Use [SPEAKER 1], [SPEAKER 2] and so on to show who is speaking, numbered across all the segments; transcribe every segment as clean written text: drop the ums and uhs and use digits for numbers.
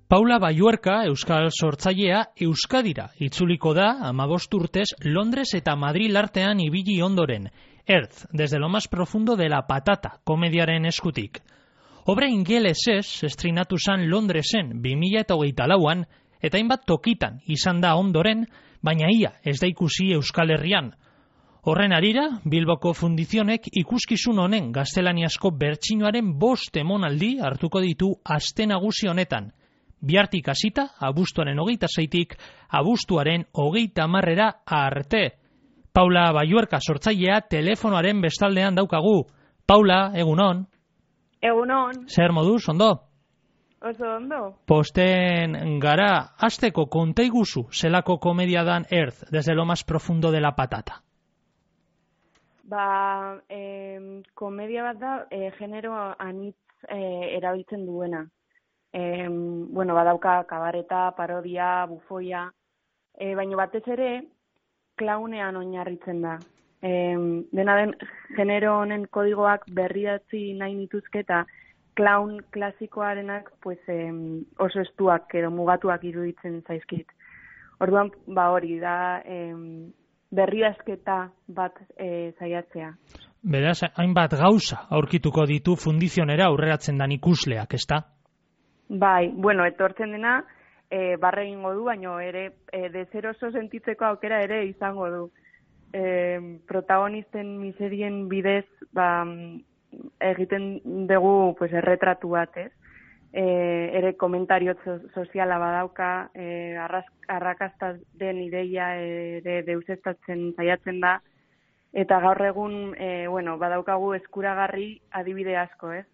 [SPEAKER 1] Paula Balluerka, euskal sortzailea, Euskadira itzuliko da 15 urtez Londres eta Madril artean ibili ondoren. Earth, desde lo más profundo de la patata, komediaren eskutik. Obra ingelesez estrinatu zen Londresen 2024an eta hainbat tokitan izan da ondoren, baina ia ez da ikusi Euskal Herrian. Horren harira, Bilboko Fundizionek ikuskizun honen gaztelaniazko bertsinoaren 5 emonaldi hartuko ditu aste nagusi honetan. Bihartik hasita, abuztuaren 26tik, abuztuaren 30 arte. Paula Balluerka sortzailea telefonoaren bestaldean daukagu. Paula, egunon.
[SPEAKER 2] Egunon.
[SPEAKER 1] Zer moduz, ondo?
[SPEAKER 2] Oso ondo.
[SPEAKER 1] Posten gara, hasteko konta iguzu zelako komedia dan Earth, desde lo más profundo de la patata.
[SPEAKER 2] Komedia bat da, genero anitz erabiltzen duena. Badauka kabareta, parodia, bufoia, baina batez ere, klaunean oinarritzen da. Dena den, genero honen kodigoak berridatzi nahi nituzke eta klaun klasikoarenak oso estuak edo mugatuak iruditzen zaizkit. Orduan, hori da berridazketa bat saiatzea.
[SPEAKER 1] Beraz, hainbat gauza aurkituko ditu Fundizionera aurreratzen dan ikusleak, ezta?
[SPEAKER 2] Bai, etortzen dena, barre egingo du, baina ere deseroso sentitzeko aukera ere izango du. Protagonisten miserien bidez egiten dugu erretratu bat, ez? Ere komentario soziala badauka, arrakastaz den ideia ere deusestatzen saiatzen da, eta gaur egun badaukagu eskuragarri adibide asko, ez?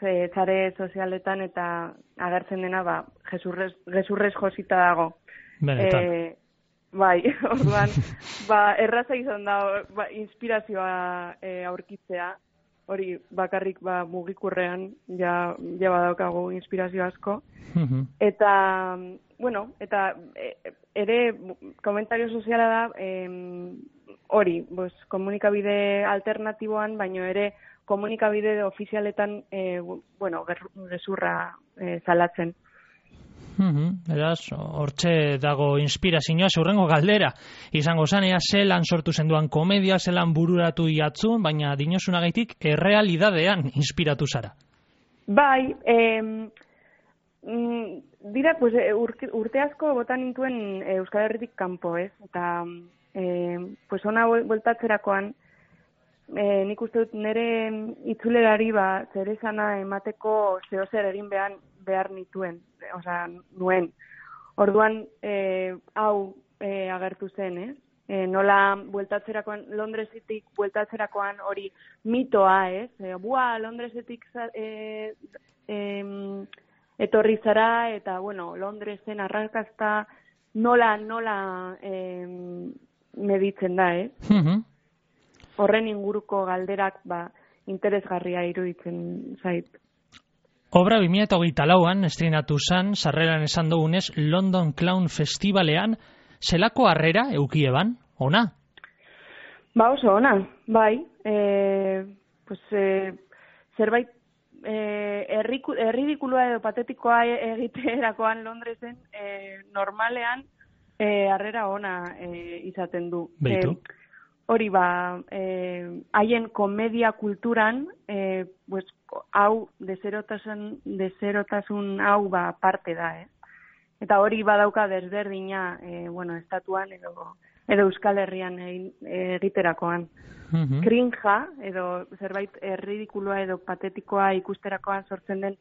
[SPEAKER 2] Sare sozialetan eta agertzen dena gezurrez josita dago.
[SPEAKER 1] Benetan.
[SPEAKER 2] Orduan, erraza izan da inspirazioa aurkitzea, hori bakarrik mugikurrean ja badaukagu inspirazio asko. Eta, ere komentario soziala da hori, komunikabide alternatiboan, baino ere komunikabide ofizialetan gezurra salatzen.
[SPEAKER 1] Beraz, hortxe dago inspirazioa, hurrengo galdera. Izango zan, zelan sortu zenduan komedia, zelan bururatu iatzun, baina dinosunagaitik errealidadean inspiratu zara.
[SPEAKER 2] Bai, dira, urte asko botan nintuen Euskal Herritik kanpo, ez? Eta, ona bueltatzerakoan, nik uste dut nire itzulerari zer esana emateko zehozer egin behar nituen, nuen. Orduan, hau agertu zen, ez? Nola bueltatzerakoan, Londresetik bueltatzerakoan hori mitoa, ez? Londresetik etorri zara, eta, Londresen arrakasta nola meditzen da, ez? Horren inguruko galderak interesgarria iruditzen zait.
[SPEAKER 1] Obra 2024an estrenatu zen, sarreran esan dugunez, London Clown Festivalean, zelako harrera eukieban, ona?
[SPEAKER 2] Oso ona, bai. Zerbait erridikulua edo patetikoa egiterakoan Londresen normalean harrera ona izaten du.
[SPEAKER 1] Beitu.
[SPEAKER 2] Hori haien komedia kulturan, hau, deserotasun hau parte da, eh? Eta hori badauka desberdina, estatuan edo Euskal Herrian egiterakoan. Krinja, edo zerbait erridikulua edo patetikoa ikusterakoan sortzen den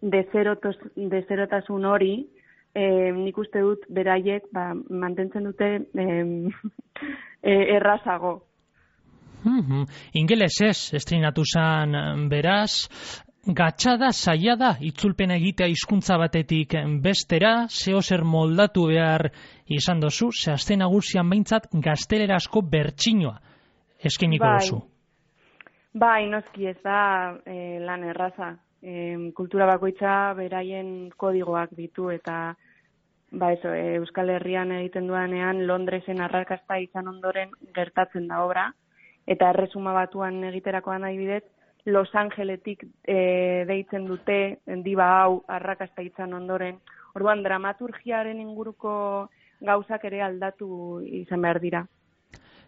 [SPEAKER 2] deserotasun hori, nik uste dut beraiek mantentzen dute errazago.
[SPEAKER 1] Ingelesez estrenatu zen beraz, gatxada, saiada, itzulpena egitea hizkuntza batetik bestera, zehozer moldatu behar izan dozu, ze aste nagusian behintzat gaztelerazko bertsinoa eskeniko duzu.
[SPEAKER 2] Bai, noski ez da lan erraza. Kultura bakoitza beraien kodigoak ditu eta Euskal Herrian egiten duanean Londresen arrakasta izan ondoren gertatzen da obra, eta Erresuma Batuan egiterakoan adibidez Los Angeletik deitzen dute diba hau arrakasta izan ondoren, Orduan, dramaturgiaren inguruko gauzak ere aldatu izan behar dira.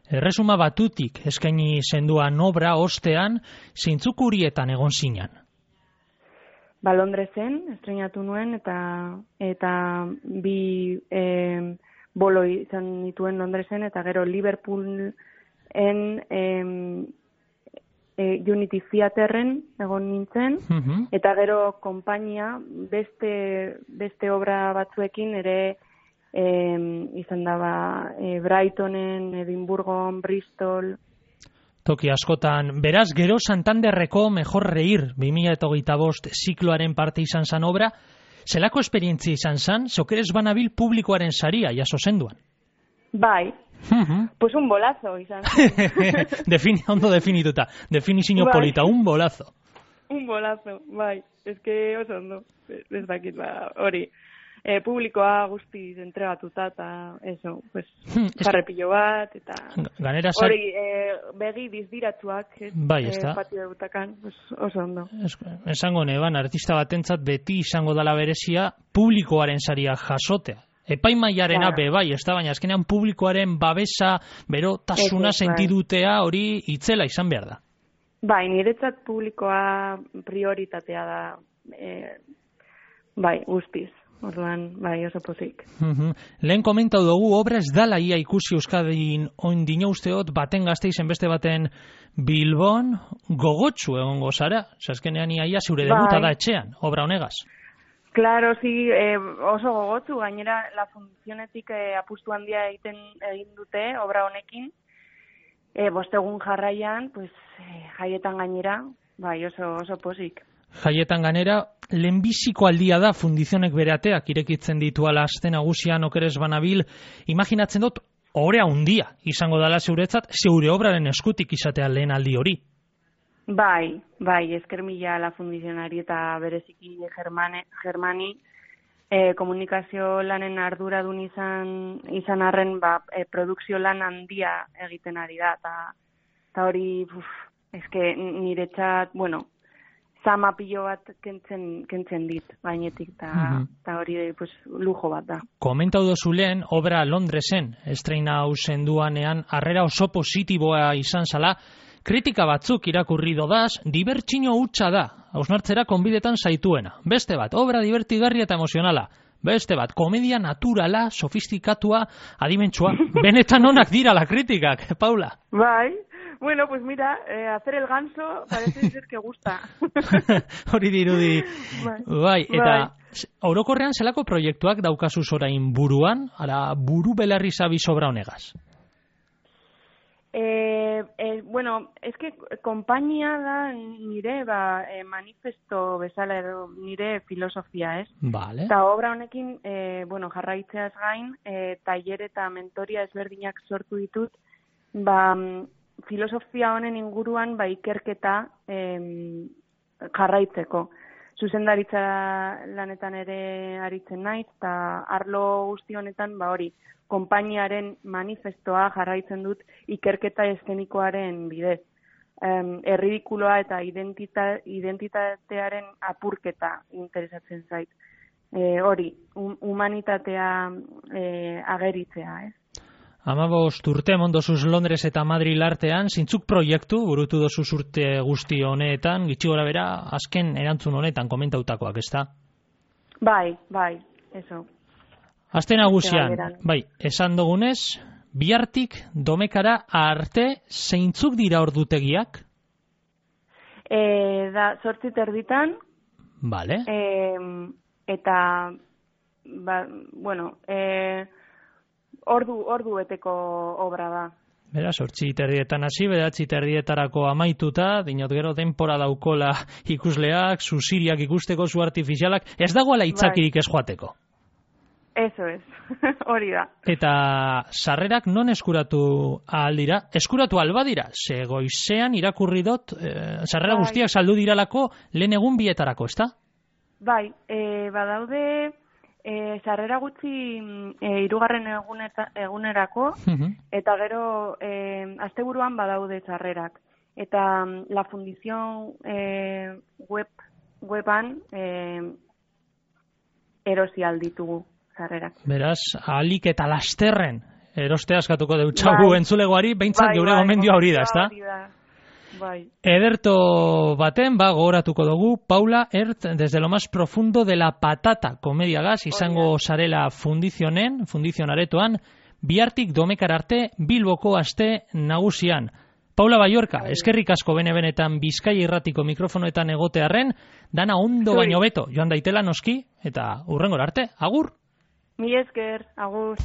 [SPEAKER 1] Erresuma Batutik eskaini zenduan obra ostean, zeintzuk urietan egon zinan?
[SPEAKER 2] Londresen estreinatu nuen eta bi bolo izan nituen Londresen eta gero Liverpoolen Unity Theaterren egon nintzen eta gero konpainia beste obra batzuekin ere izan daba Brightonen, Edimburgon, Bristol.
[SPEAKER 1] Toki askotan, beraz, gero Santanderreko Mejor Reír 2025 zikloaren parte izan zan obra, zelako esperientzia izan zan, zokeres banabil publikoaren saria jaso zenduan?
[SPEAKER 2] Bai, pues un bolazo izan zen.
[SPEAKER 1] Ondo definituta, definizio polita, un bolazo.
[SPEAKER 2] Un bolazo, bai, eske oso ondo, ez dakit hori. Publikoa guztiz entregatuta eta eso, pues, jarrepillo bat eta hori begi dizdiratzuak
[SPEAKER 1] bai,
[SPEAKER 2] patio dutakan, pues, oso ondo.
[SPEAKER 1] Esango neban, artista batentzat beti izango dala berezia publikoaren saria jasotea. Epaimailarena bai, ez da, baina azkenean publikoaren babesa, berotasuna sentidutea hori itzela izan behar da.
[SPEAKER 2] Bai, niretzat publikoa prioritatea da, bai, guztiz. Orduan, bai, oso pozik.
[SPEAKER 1] Lehen komentau dugu, obra ez dala ia ikusi Euskadin oin dino usteot, baten Gasteizen beste baten Bilbon, gogotsu egongo zara. Azkenean ia zure debuta da etxean, obra honegaz.
[SPEAKER 2] Claro, sí, oso gogotsu, gainera la fundazionetik apustu handia egin dute obra honekin. Bostegun jarraian, pues, jaietan gainera, bai, oso pozik.
[SPEAKER 1] Jaietan ganera, lehenbiziko aldia da fundizionek bere ateak irekitzen dituala aste nagusian okeres banabil, imaginatzen dut, orea handia izango dela zeuretzat, zeure obraren eskutik izatea lehen aldi hori.
[SPEAKER 2] Bai, esker mila la fundizionari eta bereziki Germani, komunikazio lanen arduradun izan arren, produkzio lan handia egiten ari da, eta hori, eske niretzat, bueno, zama pilo bat kentzen dit, bainetik, eta hori pues, lujo bat da.
[SPEAKER 1] Komentau dozu lehen, obra Londresen estreina hau zenduanean, harrera oso positiboa izan zala, kritika batzuk irakurri dodaz, dibertsio hutsa da, hausnartzera konbidetan zaituena. Beste bat, obra divertigarria eta emozionala. Beste bat, komedia naturala, sofistikatua, adimentsua. Benetan onak dira la kritikak, Paula.
[SPEAKER 2] Bai. Bueno, pues mira, hacer el ganso parece ser que gusta.
[SPEAKER 1] Hori dirudi. Bai, eta orokorrean zelako proiektuak daukazu orain buruan, ara buru belarri zabi sobra honegaz?
[SPEAKER 2] Bueno, es que konpainia da nire manifesto bezala edo nire filosofia, ez?
[SPEAKER 1] Vale.
[SPEAKER 2] Eta obra honekin, bueno, jarraitzeaz gain, tailer eta mentoria ezberdinak sortu ditut, filosofia honen inguruan ikerketa jarraitzeko. Zuzendaritza lanetan ere aritzen naiz, eta arlo guzti honetan hori, konpainiaren manifestoa jarraitzen dut ikerketa eszenikoaren bidez. Erridikuloa eta identitatearen apurketa interesatzen zait. Hori, humanitatea ageritzea, ez?
[SPEAKER 1] 15 urte mondozuz Londres eta Madril artean, zintzuk proiektu burutu dozuz urte guzti honetan, gitxi gora bera, azken erantzun honetan komentautakoak, ez da?
[SPEAKER 2] Bai, eso.
[SPEAKER 1] Aste nagusian, esan dugunez, bihartik domekara arte zeintzuk dira ordutegiak?
[SPEAKER 2] Da 8:30.
[SPEAKER 1] Vale.
[SPEAKER 2] Eta, bueno, ordu beteko obra da.
[SPEAKER 1] Bera, 8:30 hasi, 9:30 amaituta, dinot gero denpora daukola ikusleak, zuziriak ikusteko, zu artifizialak, ez dagoela itzakirik ez joateko.
[SPEAKER 2] Eso es, hori da.
[SPEAKER 1] Eta sarrerak non eskuratu aldira? Eskuratu albadira, ze goizean irakurri dut, sarrera guztiak saldu diralako lehen egun bietarako, ez da?
[SPEAKER 2] Bai, badaude sarrera gutxi 3. egunerako, eta gero asteburuan badaude sarrerak. Eta la fundición weban erosi alditugu sarrerak.
[SPEAKER 1] Beraz, ahalik eta lasterren erostea eskatuko deutxagu entzulegoari, behintzat geure gomendioa hori da, ezta?
[SPEAKER 2] Bai.
[SPEAKER 1] Ederto baten, gogoratuko dugu, Paula Ertz, desde lo más profundo de la patata, komediagaz, izango zarela fundizionaretoan, bihartik domekar arte, Bilboko aste nagusian. Paula Baiorka, eskerrik asko benetan Bizkaia Irratiko mikrofonoetan egotearren, dana ondo baino beto, joan daitela noski, eta hurrengora arte, agur!
[SPEAKER 2] Mi esker, agur!